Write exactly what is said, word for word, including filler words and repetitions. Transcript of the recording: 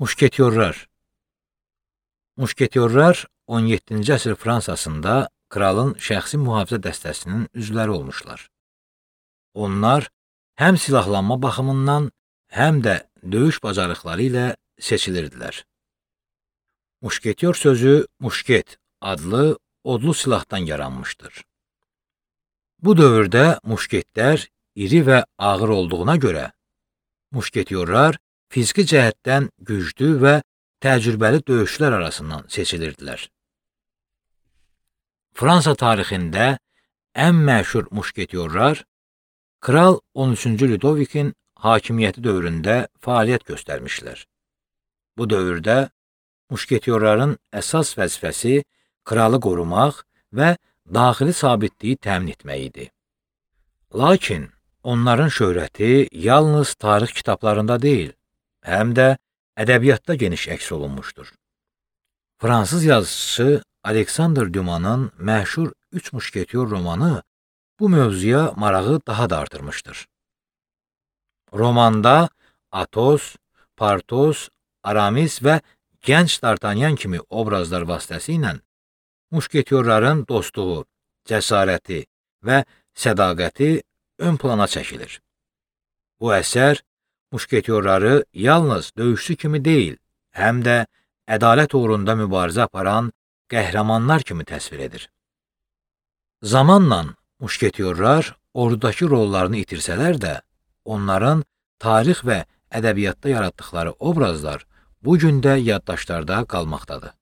Muşketyorlar. Muşketyorlar on yeddinci əsr Fransasında kralın şəxsi mühafizə dəstəsinin üzvləri olmuşlar. Onlar həm silahlanma baxımından, həm də döyüş bacarıqları ilə seçilirdilər. Muşketyor sözü muşket adlı odlu silahdan yaranmışdır. Bu dövrdə muşketlər iri və ağır olduğuna görə, muşketyorlar fiziki cəhətdən güclü və təcrübəli döyüşçülər arasından seçilirdilər. Fransa tarixində ən məşhur muşketyorlar Kral on üçüncü Ludovikin hakimiyyəti dövründə fəaliyyət göstərmişlər. Bu dövrdə muşketyorların əsas vəzifəsi kralı qorumaq və daxili sabitliyi təmin etmək idi. Lakin onların şöhrəti yalnız tarix kitablarında deyil, həm də ədəbiyyatda geniş əks olunmuşdur. Fransız yazıçısı Alexandre Dumas'ın məşhur Üç Muşketyor romanı bu mövzuya marağı daha da artırmışdır. Romanda Atos, Partos, Aramis və gənc D'Artagnan kimi obrazlar vasitəsilə muşketyorların dostluğu, cəsarəti və sədaqəti ön plana çəkilir. Bu əsər muşketyorları yalnız döyüşçü kimi deyil, həm də ədalət uğrunda mübarizə aparan qəhrəmanlar kimi təsvir edir. Zamanla muşketyorlar ordudakı rollarını itirsələr də, onların tarix və ədəbiyyatda yaratdıqları obrazlar bu gün də yaddaşlarda qalmaqdadır.